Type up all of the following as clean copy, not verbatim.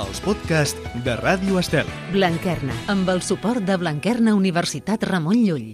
els podcasts de Ràdio Estel. Blanquerna, amb el suport de Blanquerna Universitat Ramon Llull.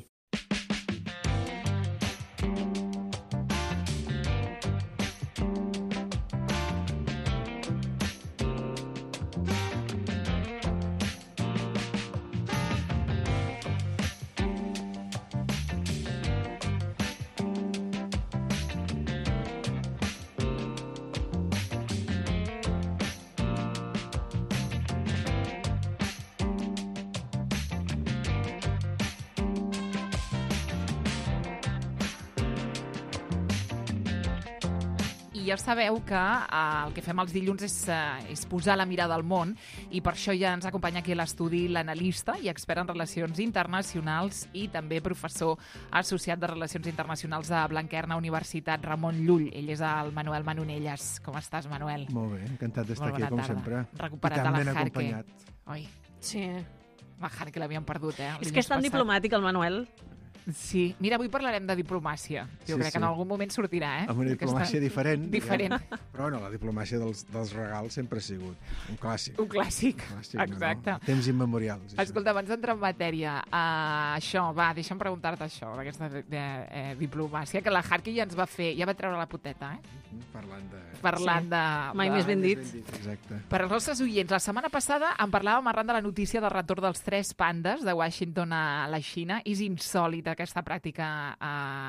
I ja sabeu que el que fem els dilluns és posar la mirada al món i per això ja ens acompanya aquí a l'estudi l'analista i expert en relacions internacionals i també professor associat de Relacions Internacionals de Blanquerna Universitat Ramon Llull. Ell és el Manuel Manonelles. Com estàs, Manuel? Molt bé, encantat d'estar aquí, com sempre. Recuperat I tan a la ben Jarque. acompanyat. Oi, Sí. la Jarque l'havíem perdut, És que és tan diplomàtic el Manuel. Sí. Mira, avui parlarem de diplomàcia. Jo crec que en algun moment sortirà, Amb una diplomàcia diferent. Diferent. Però bueno, la diplomàcia dels regals sempre ha sigut un clàssic. Un clàssic, exacte. No? Temps immemorials. Escolta, abans d'entrar en matèria, això, deixa'm preguntar-te això, d'aquesta diplomàcia, que la Jarque ja ens va fer, ja va treure la poteta, Parlant de... Mai més ben dit. Exacte. Per als nostres oients, la setmana passada en parlàvem arran de la notícia del retorn dels 3 pandes de Washington a la Xina. És insòlita aquesta pràctica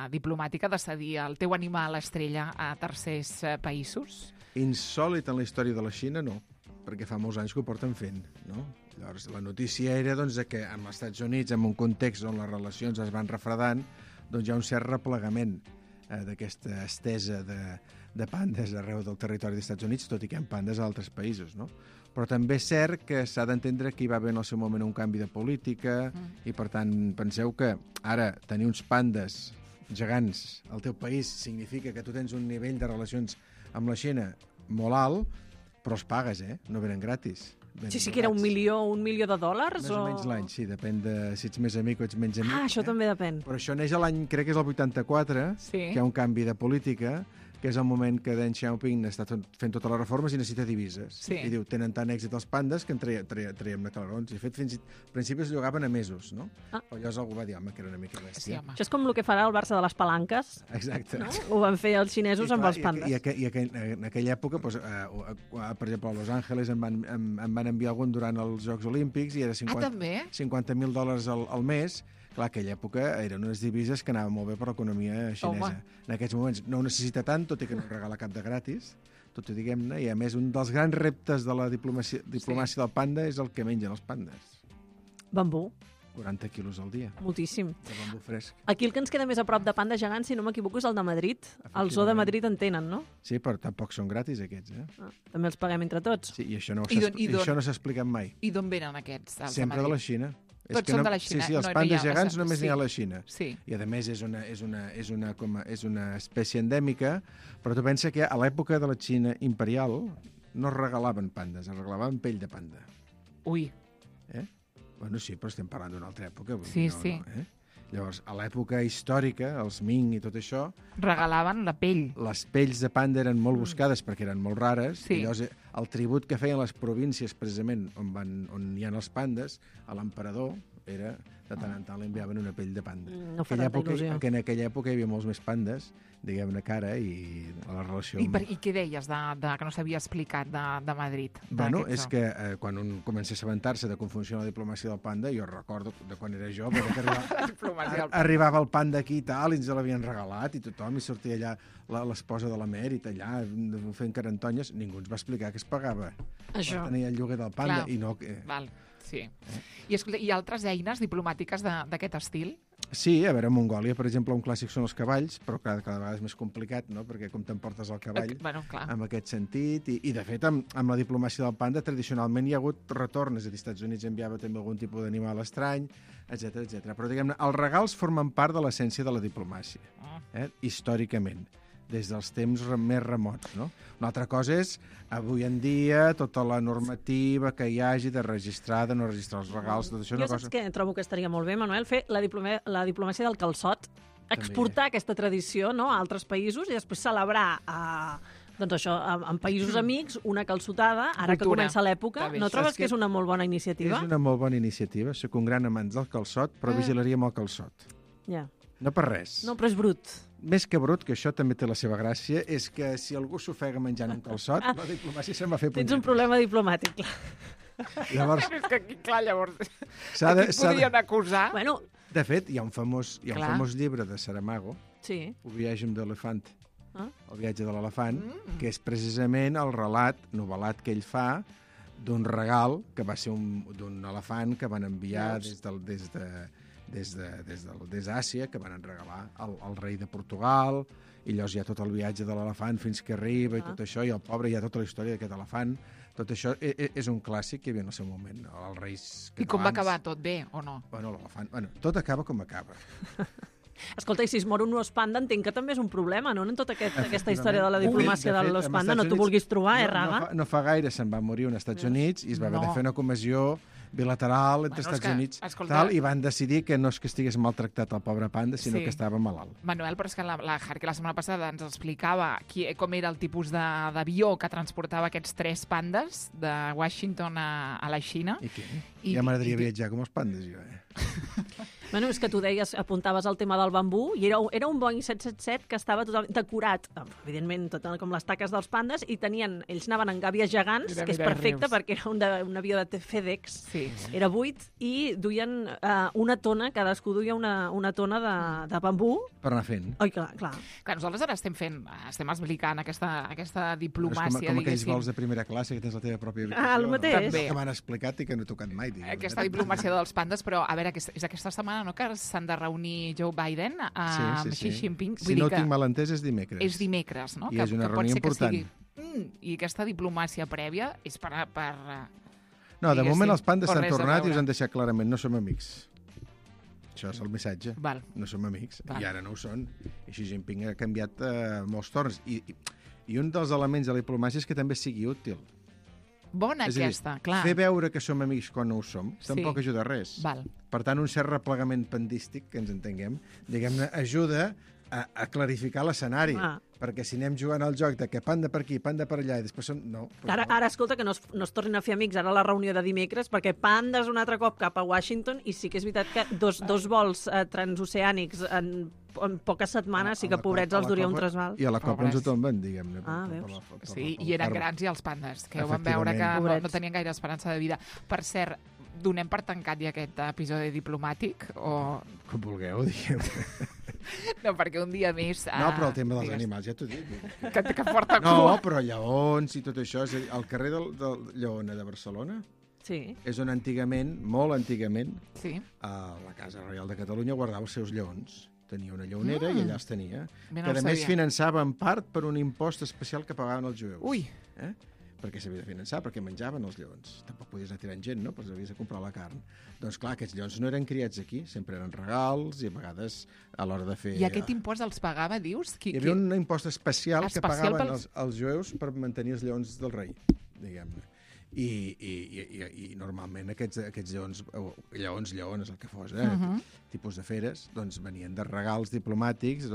diplomàtica de cedir el teu animal estrella a tercers països? Insòlit en la història de la Xina, no, perquè fa molts anys que ho porten fent, no? Llavors, la notícia era doncs, que amb els Estats Units, en un context on les relacions es van refredant, doncs hi ha un cert replegament d'aquesta estesa de pandes arreu del territori dels Estats Units, tot i que hi ha pandes a altres països, no? Però també és cert que s'ha d'entendre que hi va haver en el seu moment un canvi de política i, per tant, penseu que ara tenir uns pandes gegants al teu país significa que tu tens un nivell de relacions amb la Xina molt alt, però els pagues, no venen gratis. Sí, que era $1 milió de dòlars? Més o menys l'any, sí, depèn de si ets més amic o ets menys amic. Això també depèn. Però això neix a l'any, crec que és el 84, que hi ha un canvi de política, que és el moment que Deng Xiaoping està fent totes les reformes i necessita divises. Sí. I diu, tenen tant èxit els pandes que en traiem de calarons. I de fet, fins al principi es llogaven a mesos, no? Però llavors algú va dir, home, que era una mica bèstia. Sí, això és com el que farà el Barça de les palanques. Exacte. No? Ho van fer els xinesos amb els pandes. I en aquella època, doncs, per exemple, a Los Angeles em van enviar algun durant els Jocs Olímpics i era $50,000 al mes. Clar, aquella època eren unes divises que anaven molt bé per l'economia xinesa. En aquests moments no ho necessita tant, tot i que no regala cap de gratis, tot i diguem-ne, i a més un dels grans reptes de la diplomàcia del panda és el que mengen els pandes. Bambú. 40 quilos al dia. Moltíssim. De bambú fresc. Aquí el que ens queda més a prop de panda gegant, si no m'equivoco, és el de Madrid. El zoo de Madrid en tenen, no? Sí, però tampoc són gratis, aquests, També els paguem entre tots. Sí, i això no s'ha explicat mai. I d'on venen aquests? Sempre de la Xina. Tots són de la Xina. Sí, els pandes gegants només n'hi ha a la Xina. Sí. I, a més, és una espècie endèmica, però tu pensa que a l'època de la Xina imperial no es regalaven pandes, es regalaven pell de panda. Ui. Bueno, sí, però estem parlant d'una altra època. Sí. Llavors, a l'època històrica, els Ming i tot això... Regalaven la pell. Les pells de panda eren molt buscades perquè eren molt rares. Sí. I llavors el tribut que feien les províncies, precisament, on hi ha els pandes, a l'emperador, era de tant en tant li enviaven una pell de panda. No fa tanta il·lusió. Que en aquella època hi havia molts més pandes, diguem-ne, cara, i a la relació... I què deies que no s'havia explicat de Madrid? Bueno, és que quan un comença a assabentar-se de com funciona la diplomàcia del panda, jo recordo de quan era jo, que arribava el panda aquí i tal, i ens l'havien regalat, i tothom, i sortia allà l'esposa de l'emèrit, allà, fent carantonyes, ningú ens va explicar que es pagava. Això. Tenia el lloguer del panda, i no... Val. Sí. I escolta, hi ha altres eines diplomàtiques d'aquest estil? Sí, a veure, a Mongòlia, per exemple, un clàssic són els cavalls, però cada vegada és més complicat, no?, perquè com t'emportes el cavall, en aquest sentit, i de fet, amb la diplomàcia del panda, tradicionalment hi ha hagut retorn, és a dir, als Estats Units enviava també algun tipus d'animal estrany, etc. Però, diguem-ne, els regals formen part de l'essència de la diplomàcia, històricament, des dels temps més remots, no? Una altra cosa és, avui en dia, tota la normativa que hi hagi de registrar, de no registrar els regals, tot això... Jo saps que trobo que estaria molt bé, Manuel, fer la diplomàcia del calçot, exportar aquesta tradició, no?, a altres països i després celebrar Doncs això, en països amics, una calçotada, ara que Cultura. comença l'època, Està bé. no trobes Saps que és què? una molt bona iniciativa? És una molt bona iniciativa. Soc un gran amant del calçot, però vigilaria amb el calçot. Ja. No per res. No, però és brut. Més que brut, que això també té la seva gràcia, és que si algú s'ofega menjant un calçot, la diplomàcia se'n va fer Tens un punyet. problema diplomàtic, clar. Llavors, És que aquí, clar, llavors, s'ha de, aquí s'ha de... podien acusar. Bueno, De fet, hi ha un famós Clar. llibre de Saramago, sí. El viatge d'elefant, Ah. el viatge de l'elefant, que és precisament el relat novel·lat que ell fa d'un regal que va ser d'un elefant que van enviar des d'Àsia, que van regalar al rei de Portugal, i llavors hi ha tot el viatge de l'elefant fins que arriba i tot això, i el pobre hi ha tota la història d'aquest elefant. Tot això és un clàssic que hi havia en el seu moment. Els reis catalans... I com va acabar? Tot bé o no? Bueno, l'elefant... Bueno, tot acaba com acaba. Escolta, i si es mor un os panda, entenc que també és un problema, no? En tota aquesta història de la De fet, diplomàcia de l'os panda, no t'ho vulguis trobar, Raga? No fa gaire se'n va morir un als Estats Units i es va haver de No. fer una comissió bilateral entre Bueno, és Estats que, Units escolta- tal, i van decidir que no és que estigués maltractat el pobre panda, sinó Sí. que estava malalt. Manuel, però és que la Harky la setmana passada ens explicava com era el tipus d'avió que transportava aquests 3 pandes de Washington a la Xina. I què? I- Ja m'agradaria i- viatjar com els pandes, jo, Bueno, és que tu deies, apuntaves el tema del bambú, i era un Boeing 777 que estava totalment decorat, evidentment, tot com les taques dels pandes, i ells anaven en gàbies gegants, Mira, que és mira, perfecte, rius. perquè era un avió de FedEx, Sí. era buit, i duien una tona, cadascú duia una tona de bambú. per anar fent. Oi, clar. Que nosaltres ara estem explicant aquesta És diplomàcia, com aquells diguéssim. vols de primera classe que tens la teva pròpia habitació. Ah, el mateix. També. Que m'han explicat i que no he tocat mai, diguem. Aquesta diplomàcia dels pandes, però a veure, és aquesta setmana, no?, que s'han de reunir Joe Biden amb Xi Jinping. Si no ho tinc mal entès, és dimecres. És dimecres, no? I és una que pot reunió ser que important. I aquesta diplomàcia prèvia és per No, de diguéssim, moment els pandes o s'han res a tornat i veure. us han deixat clarament, no som amics. Això és el missatge. Val. No som amics. Val. I ara no ho són. I Xi Jinping ha canviat molts torns. I un dels elements de la diplomàcia és que també sigui útil. Bona És a dir, aquesta, clar. fer veure que som amics quan no ho som Sí. tampoc ajuda a res. Val. Per tant, un cert replegament pandístic, que ens entenguem, diguem-ne, ajuda a clarificar l'escenari. Ah. Perquè si anem jugant al joc de que panda per aquí, panda per allà, i després són... No, doncs Ara, escolta, que no es tornin a fer amics ara a la reunió de dimecres, perquè pandes un altre cop cap a Washington, i sí que és veritat que dos vols transoceànics en poques setmanes sí que pobrets els duria un trasbal. I a la Copa ens ho Pobres. tomben, diguem-ne. Ah, veus? Sí, i eren grans i els pandes, que ho van veure que Efectivament. no tenien gaire esperança de vida. Per cert, donem per tancat ja aquest episodi diplomàtic o... Com vulgueu, diguem. No, perquè un dia més... No, però el tema dels digues, animals, ja t'ho dic. Que porta No, cua. però lleons i tot això. És a dir, al carrer del Lleona de Barcelona Sí. és on antigament, molt antigament, Sí, la Casa Reial de Catalunya guardava els seus lleons. Tenia una lleonera i allà els tenia. Bé, no Que ho a més sabia. finançava en part per un impost especial que pagaven els jueus. Ui. Perquè s'havia de finançar, perquè menjaven els lleons. Tampoc podies anar tirant gent, no? Però havies de comprar la carn. Doncs clar, aquests lleons no eren criats aquí, sempre eren regals i a vegades a l'hora de fer... I aquest impost els pagava, dius? Hi havia un impost especial que Especial pagaven pels- els jueus per mantenir els lleons del rei, diguem-ne. I normalment aquests lleons, el que fos, tipus de feres, doncs venien de regals diplomàtics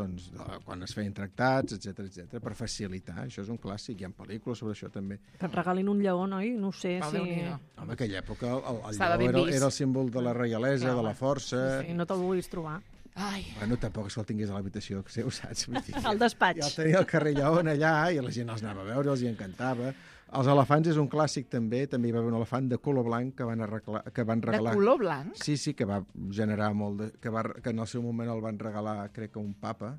quan es feien tractats, etc per facilitar. Això és un clàssic, hi ha pel·lícules sobre això també. Que et regalin un lleó, oi? No ho sé. Oh, si... Déu-n'hi-do. En aquella època el Estava ben lleó vist. era el símbol de la reialesa, Clar, de la força... Sí, no te'l vulguis trobar. Ai, Bueno, tampoc és que el tingués a l'habitació seu, saps? Vull dir, Al despatx. Ja el tenia al carrer Lleón allà i la gent els anava a veure, els hi encantava. Els elefants és un clàssic també hi va haver un elefant de color blanc que van de regalar... color blanc? Sí, que va generar molt de... que en el seu moment el van regalar, crec que un papa,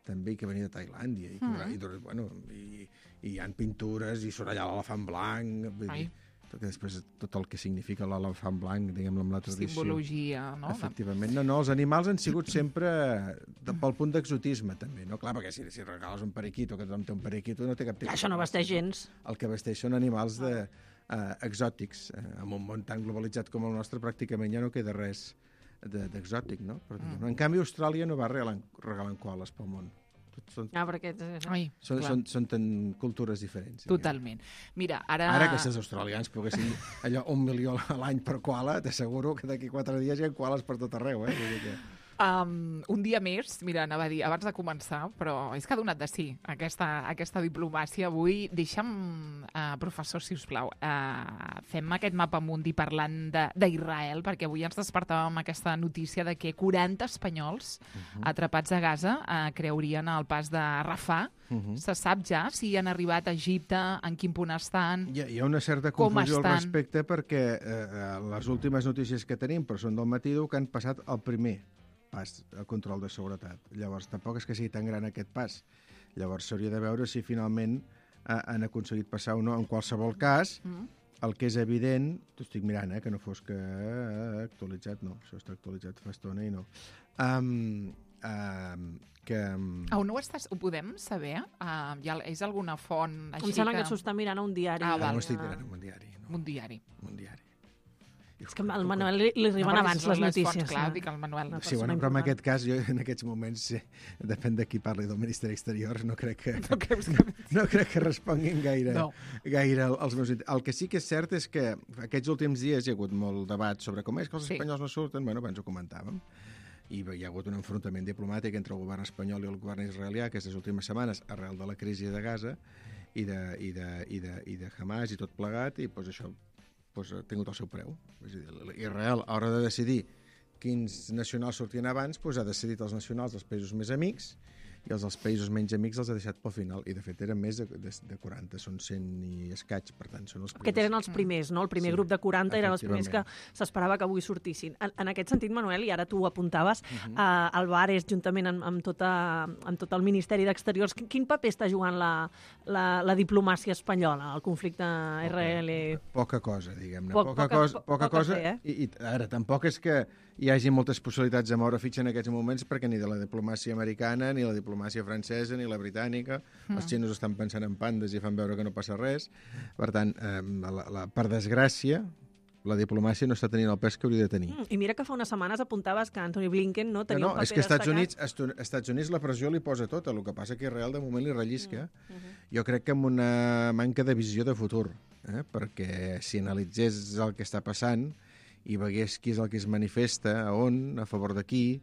també, que venia de Tailàndia. I hi ha pintures i surt allà l'elefant blanc. Vull dir, que després tot el que significa l'elefant blanc, diguem-ne, amb la tradició. Simbologia, no? Efectivament. No, els animals han sigut sempre pel punt d'exotisme, també, no? Clar, perquè si regales un periquito, que tothom té un periquito, no té cap tipus... Això no vesteix gens. El que vesteix són animals exòtics. En un món tan globalitzat com el nostre, pràcticament ja no queda res d'exòtic, no? Però, en canvi, Austràlia no va regalant koales pel món. Perquè... Ai, clar. Són tan cultures diferents. Totalment. Mira, ara... Ara que si els australians poguessin allò 1 milió a l'any per koala, t'asseguro que d'aquí 4 dies hi ha koalas per tot arreu, eh? Vull dir que... Un dia més, mira, anava a dir, abans de començar, però és que ha donat de sí aquesta diplomàcia avui. Deixa'm, professor, si us plau, fem aquest mapa mundi parlant d'Israel, perquè avui ens despertàvem amb aquesta notícia de que 40 espanyols atrapats a Gaza creurien el pas de Rafah. Se sap ja si han arribat a Egipte, en quin punt estan? Hi ha una certa confusió al respecte perquè les últimes notícies que tenim, però són del matí, diu que han passat el primer pas a control de seguretat. Llavors, tampoc és que sigui tan gran aquest pas. Llavors, s'hauria de veure si finalment han aconseguit passar o no. En qualsevol cas, el que és evident, t'ho estic mirant, que no fos que actualitzat, no, això està actualitzat fa estona i no. On ho podem saber? És alguna font així Em sembla que s'ho està mirant a un diari. No estic mirant a un diari. No. Un diari. Un diari. És que al Manuel li arriben abans les notícies. Clar, dic al Manuel. Sí, bueno, però en aquest cas, jo en aquests moments, depèn de qui parli del Ministeri Exterior, no crec que responguin gaire als meus... El que sí que és cert és que aquests últims dies hi ha hagut molt debat sobre com és que els espanyols no surten. Bueno, abans ho comentàvem. I hi ha hagut un enfrontament diplomàtic entre el govern espanyol i el govern israelià aquestes últimes setmanes arrel de la crisi de Gaza i de Hamas i tot plegat, i doncs això ha tingut el seu preu. És a dir, Israel, a l'hora de decidir quins nacionals sortien abans, ha decidit els nacionals dels països més amics i els dels països menys amics els ha deixat pel final. I, de fet, eren més de 40, són 100 i escaig, per tant, són els primers. Aquest eren els primers, no? El primer grup de 40 eren els primers que s'esperava que avui sortissin. En aquest sentit, Manuel, i ara tu ho apuntaves, Álvarez, juntament amb tot el Ministeri d'Exteriors, quin paper està jugant la diplomàcia espanyola al conflicte Israel? Poca cosa, diguem-ne. Poca cosa. I ara, tampoc és que hi hagi moltes possibilitats de moure fitxa en aquests moments, perquè ni de la diplomàcia americana, ni la diplomàcia francesa, ni la britànica, els xinos estan pensant en pandes i fan veure que no passa res. Per tant, per desgràcia, la diplomàcia no està tenint el pes que hauria de tenir. I mira que fa unes setmanes apuntaves que Antony Blinken no tenia un paper destacat. És que Estats Units la pressió li posa tota, el que passa que Israel de moment li rellisca. Jo crec que amb una manca de visió de futur, perquè si analitzés el que està passant i veiés qui és el que es manifesta, a favor de qui,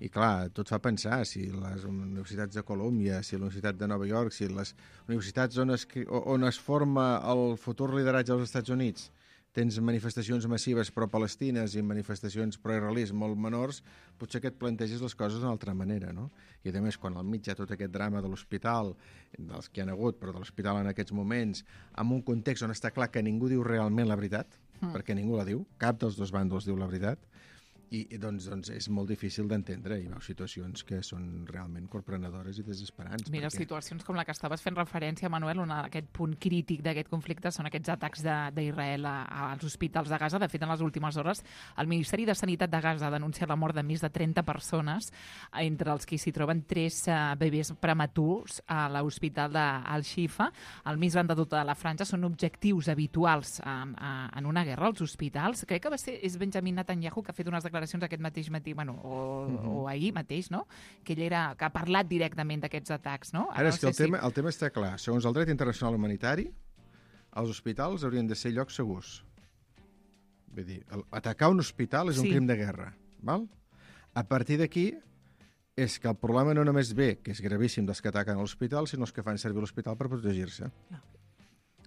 i clar, tot fa pensar si les universitats de Colòmbia, si la Universitat de Nova York, si les universitats on es forma el futur lideratge dels Estats Units, tens manifestacions massives pro-palestines i manifestacions pro-israelis molt menors, potser que et plantegis les coses d'una altra manera, no? I a més, quan al mig hi ha tot aquest drama de l'hospital, dels que hi ha hagut, però de l'hospital en aquests moments, en un context on està clar que ningú diu realment la veritat, perquè ningú la diu, cap dels dos bàndols diu la veritat, i doncs és molt difícil d'entendre. Hi veus situacions que són realment corprenedores i desesperants. Mira, situacions com la que estaves fent referència, Manuel, on aquest punt crític d'aquest conflicte són aquests atacs d'Israel als hospitals de Gaza. De fet, en les últimes hores, el Ministeri de Sanitat de Gaza ha denunciat la mort de més de 30 persones, entre els que s'hi troben 3 bebès prematurs a l'hospital d'Al-Shifa. El més gran de tota la franja són objectius habituals en una guerra als hospitals. Crec que és Benjamin Netanyahu que ha fet unes declaracions aquest mateix matí, o ahir mateix, no? Que ell ha parlat directament d'aquests atacs, no? Ara, és que el tema està clar. Segons el dret internacional humanitari, els hospitals haurien de ser llocs segurs. Vull dir, atacar un hospital és un crim de guerra, val? A partir d'aquí, és que el problema no només ve, que és gravíssim dels que ataquen l'hospital, sinó els que fan servir l'hospital per protegir-se.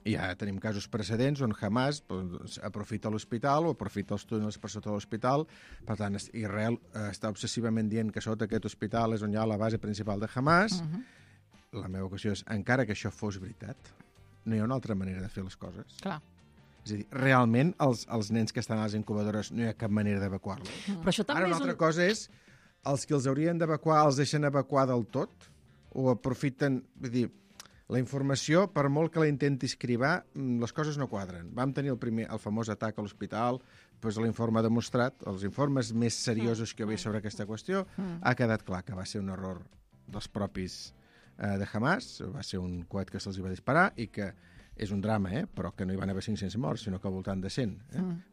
I ja tenim casos precedents on Hamas aprofita l'hospital o aprofita els túnels per sota l'hospital. Per tant, Israel està obsessivament dient que sota aquest hospital és on hi ha la base principal de Hamas. La meva qüestió és, encara que això fos veritat, no hi ha una altra manera de fer les coses. Clar. És a dir, realment, els nens que estan a les incubadores no hi ha cap manera d'evacuar-los. Però això també Ara, una altra cosa és, els que els haurien d'evacuar els deixen evacuar del tot o aprofiten... Vull dir, la informació, per molt que la intentis cribar, les coses no quadren. Vam tenir el famós atac a l'hospital, doncs l'informe ha demostrat, els informes més seriosos que hi havia sobre aquesta qüestió, ha quedat clar que va ser un error dels propis de Hamas, va ser un coet que se'ls va disparar i que és un drama, però que no hi van haver 500 morts, sinó que al voltant de 100.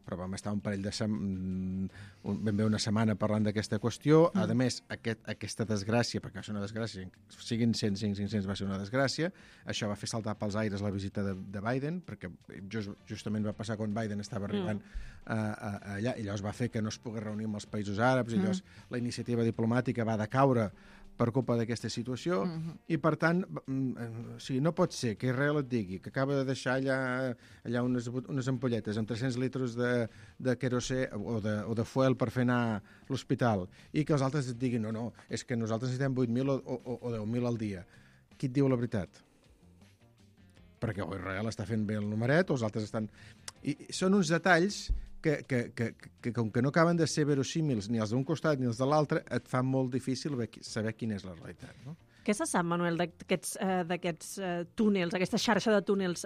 Però vam estar un parell de ben bé una setmana parlant d'aquesta qüestió. A més, aquesta desgràcia, perquè va ser una desgràcia, siguin 100, 500 va ser una desgràcia, això va fer saltar pels aires la visita de Biden, perquè justament va passar quan Biden estava arribant allà, i llavors va fer que no es pogués reunir amb els països àrabs, i llavors la iniciativa diplomàtica va decaure per culpa d'aquesta situació, i per tant, no pot ser que Israel et digui que acaba de deixar allà unes ampolletes amb 300 litres de querosè o de fuel per fer anar a l'hospital, i que els altres et diguin no, és que nosaltres necessitem 8.000 o 10.000 al dia. Qui et diu la veritat? Perquè o Israel està fent bé el numeret, o els altres estan... I són uns detalls que com que no acaben de ser verosímils ni els d'un costat ni els de l'altre, et fa molt difícil saber quina és la realitat, no? Què se sap, Manuel, d'aquests túnels, aquesta xarxa de túnels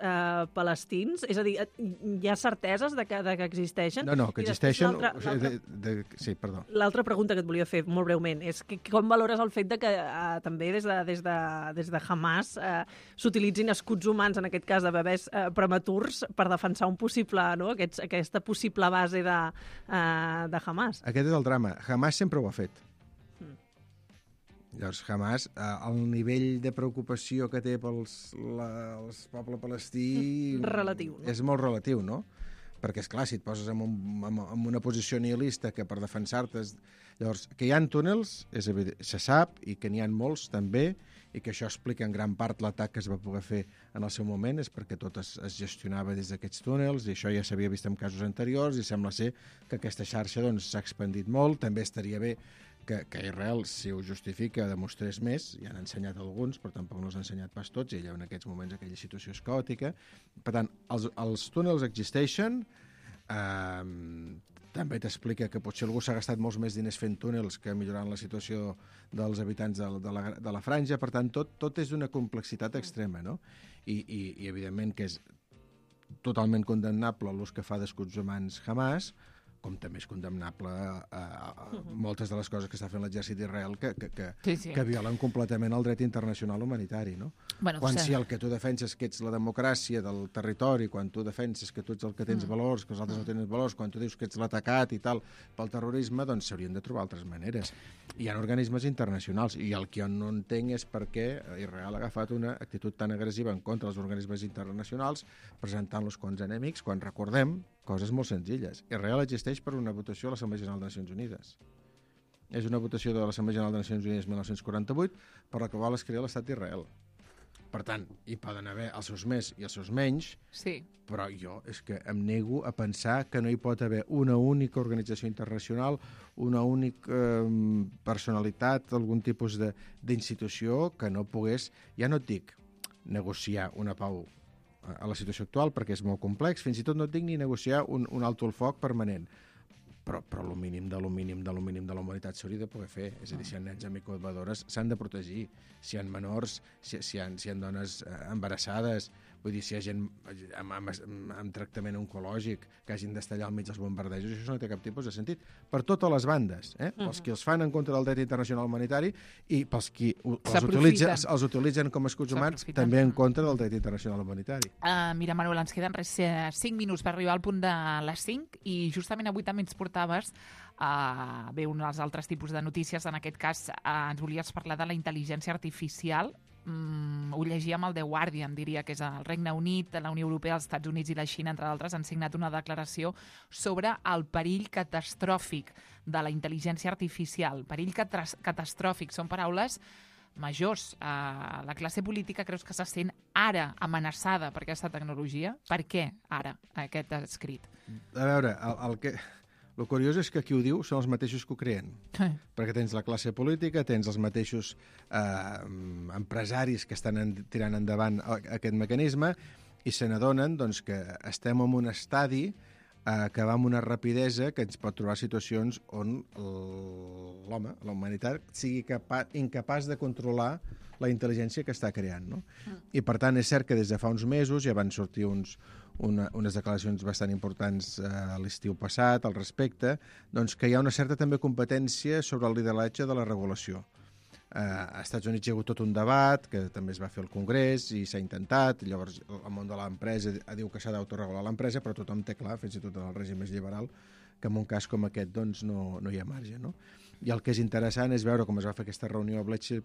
palestins? És a dir, hi ha certeses de que existeixen? No, que existeixen... Sí, perdó. L'altra pregunta que et volia fer, molt breument, és com valores el fet de que també des de Hamas s'utilitzin escuts humans, en aquest cas de bebès prematurs, per defensar aquesta possible base de Hamas? Aquest és el drama. Hamas sempre ho ha fet. Llavors, Hamas, el nivell de preocupació que té pel poble palestí... Relatiu, no? És molt relatiu, no? Perquè, esclar, si et poses en una posició nihilista que per defensar-te... Llavors, que hi ha túnels, se sap, i que n'hi ha molts també, i que això explica en gran part l'atac que es va poder fer en el seu moment, és perquè tot es gestionava des d'aquests túnels, i això ja s'havia vist en casos anteriors, i sembla ser que aquesta xarxa s'ha expandit molt. També estaria bé que Israel, si ho justifica, demostrés més. Ja han ensenyat alguns, però tampoc no els han ensenyat pas tots, i allà en aquests moments aquella situació és caòtica. Per tant, els túnels existeixen. També t'explica que potser algú s'ha gastat molts més diners fent túnels que millorant la situació dels habitants de la franja. Per tant, tot és d'una complexitat extrema, no? I evidentment que és totalment condemnable l'ús que fa d'escuts humans Hamas, com també és condemnable moltes de les coses que està fent l'exèrcit d'Israel que violen completament el dret internacional humanitari, no? Quan si el que tu defenses que ets la democràcia del territori, quan tu defenses que tu ets el que tens valors, que els altres no tenen valors, quan tu dius que ets l'atacat i tal pel terrorisme, doncs s'haurien de trobar altres maneres. Hi ha organismes internacionals, i el que jo no entenc és per què Israel ha agafat una actitud tan agressiva en contra dels organismes internacionals, presentant-los com enemics, quan recordem coses molt senzilles. Israel existeix per una votació a l'Assemblea General de Nacions Unides. És una votació de l'Assemblea General de Nacions Unides 1948 per la que vol crear l'estat d'Israel. Per tant, hi poden haver els seus més i els seus menys, però jo és que em nego a pensar que no hi pot haver una única organització internacional, una única personalitat, algun tipus d'institució que no pogués, ja no et dic negociar una pau a la situació actual, perquè és molt complex, fins i tot no et dic ni negociar un alto el foc permanent, però el mínim de la humanitat s'hauria de poder fer. És a dir, si hi ha nens amb incubadores, s'han de protegir. Si hi ha menors, si hi ha dones embarassades, vull dir, si hi ha gent amb tractament oncològic que hagin d'estar allà al mig dels bombardejos, això no té cap tipus de sentit. Per totes les bandes, pels qui els fan en contra del dret internacional humanitari i pels qui els utilitzen com a escuts humans, també en contra del dret internacional humanitari. Mira, Manuel, ens queden 5 minuts per arribar al punt de les 5, i justament avui també ens portaves un dels altres tipus de notícies. En aquest cas ens volies parlar de la intel·ligència artificial. Ho llegia amb el The Guardian, diria que és el Regne Unit, la Unió Europea, els Estats Units i la Xina, entre d'altres, han signat una declaració sobre el perill catastròfic de la intel·ligència artificial. Perill catastròfic, són paraules majors. La classe política creus que se sent ara amenaçada per aquesta tecnologia? Per què ara aquest escrit? A veure, el curiós és que qui ho diu són els mateixos que ho creen. Perquè tens la classe política, tens els mateixos empresaris que estan tirant endavant aquest mecanisme, i se n'adonen doncs, que estem en un estadi que va amb una rapidesa que ens pot trobar situacions on l'home, la humanitat, sigui incapaç de controlar la intel·ligència que està creant, no? I per tant és cert que des de fa uns mesos ja van sortir unes declaracions bastant importants l'estiu passat al respecte, doncs que hi ha una certa també competència sobre el lideratge de la regulació. A Estats Units hi ha hagut tot un debat, que també es va fer al Congrés i s'ha intentat, llavors el món de l'empresa diu que s'ha d'autoregular l'empresa, però tothom té clar, fins i tot en el règim més liberal, que en un cas com aquest doncs, no hi ha marge. No? I el que és interessant és veure com es va fer aquesta reunió a Bletchley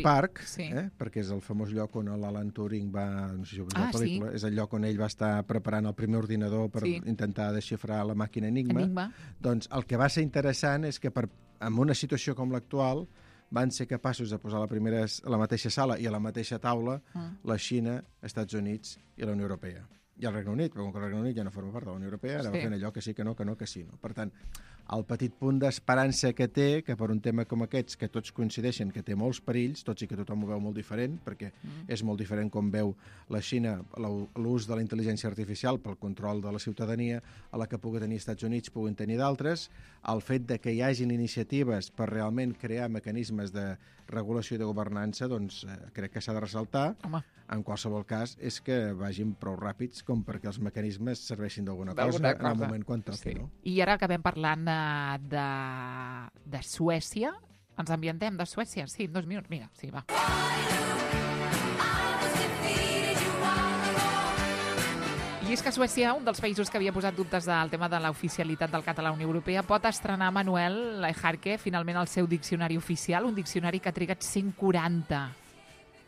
Park, sí. Perquè és el famós lloc on l'Alan Turing va... No sé si heu vist la pel·lícula. Sí. És el lloc on ell va estar preparant el primer ordinador per intentar desxifrar la màquina Enigma. Doncs el que va ser interessant és que en una situació com l'actual van ser capaços de posar a la mateixa sala i a la mateixa taula la Xina, Estats Units i la Unió Europea. I el Regne Unit, però com que el Regne Unit ja no forma part de la Unió Europea, ara va fent allò que sí, que no, que no, que sí. No? Per tant, el petit punt d'esperança que té, que per un tema com aquests, que tots coincideixen que té molts perills, tots i que tothom ho veu molt diferent, perquè és molt diferent com veu la Xina l'ús de la intel·ligència artificial pel control de la ciutadania, a la que pugui tenir Estats Units, puguin tenir d'altres, el fet de que hi hagin iniciatives per realment crear mecanismes de regulació i de governança, doncs crec que s'ha de ressaltar. Home. En qualsevol cas, és que vagin prou ràpids com perquè els mecanismes serveixin d'alguna cosa en el moment quan toqui. No? I ara acabem parlant de Suècia. Ens ambientem de Suècia? Sí, 2 minuts. Mira, sí, va. I és que Suècia, un dels països que havia posat dubtes del tema de l'oficialitat del català a la Unió Europea, pot estrenar, Manuel Lejarque, finalment el seu diccionari oficial, un diccionari que ha trigat 140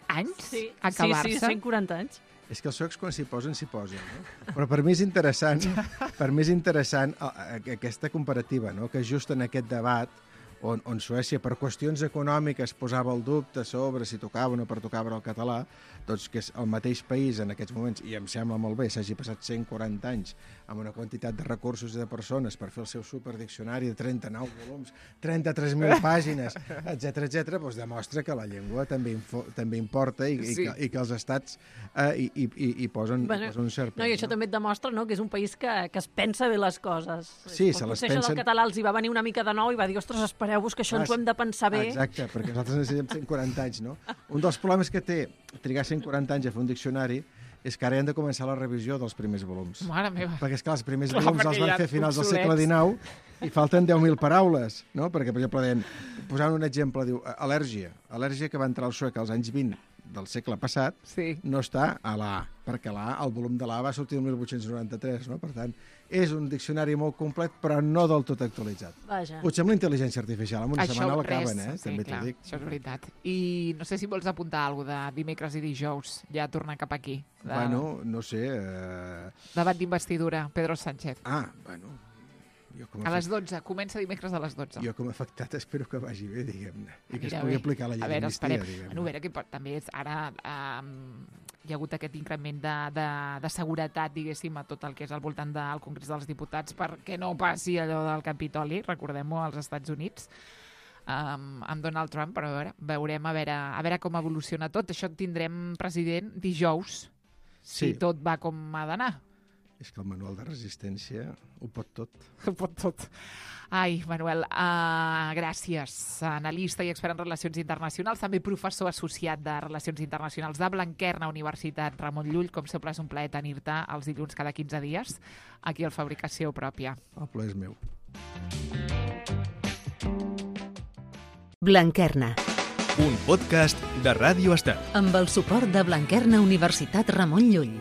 anys a acabar-se. Sí, 140 anys. És que els suecs quan s'hi posen, no? Però per mi és interessant aquesta comparativa, no? Que just en aquest debat on Suècia, per qüestions econòmiques, posava el dubte sobre si tocava o no pertocava el català, doncs que és el mateix país en aquests moments, i em sembla molt bé, s'hagi passat 140 anys amb una quantitat de recursos i de persones per fer el seu superdiccionari de 39 volums, 33.000 pàgines, etc, doncs demostra que la llengua també importa i que els estats hi posen un cert pes. I això també et demostra que és un país que es pensa bé les coses. Sí, se les pensen... Això del català els hi va venir una mica de nou i va dir, ostres, espereu-vos que això ens ho hem de pensar bé. Exacte, perquè nosaltres necessitem 140 anys, no? Un dels problemes que té trigar 140 anys a fer un diccionari és que ara hem de començar la revisió dels primers volums. Mare meva. Perquè, esclar, els primers volums els van fer a finals del segle XIX i falten 10.000 paraules, no? Perquè, per exemple, posant un exemple, diu al·lèrgia. Al·lèrgia que va entrar al suec als anys 20 del segle passat no està a la A, perquè el volum de la A va sortir el 1893, no? Per tant, és un diccionari molt complet, però no del tot actualitzat. Vaja. Potser amb la intel·ligència artificial, en una setmana l'acaben, Sí, també clar, t'ho dic. això és veritat. I no sé si vols apuntar alguna cosa de dimecres i dijous, ja tornar cap aquí. Bueno, no sé... Debat d'investidura, Pedro Sánchez. Bueno... A les 12, comença dimecres a les 12. Jo com a afectat espero que vagi bé, diguem-ne, i que es pugui aplicar la llei d'amnistia, diguem-ne. A veure, que també ara hi ha hagut aquest increment de seguretat, diguéssim, a tot el que és al voltant del Congrés dels Diputats perquè no passi allò del Capitoli, recordem-ho, als Estats Units, amb Donald Trump, però veurem a veure com evoluciona tot. Això tindrem president dijous, si tot va com ha d'anar. És que el manual de resistència ho pot tot. Ho pot tot. Ai, Manuel, gràcies. Analista i expert en relacions internacionals, també professor associat de Relacions Internacionals de Blanquerna, Universitat Ramon Llull. Com sempre, és un plaer tenir-te els dilluns cada 15 dies aquí al Fabricació Pròpia. El plaer és meu. Blanquerna. Un podcast de Ràdio Estel. Amb el suport de Blanquerna Universitat Ramon Llull.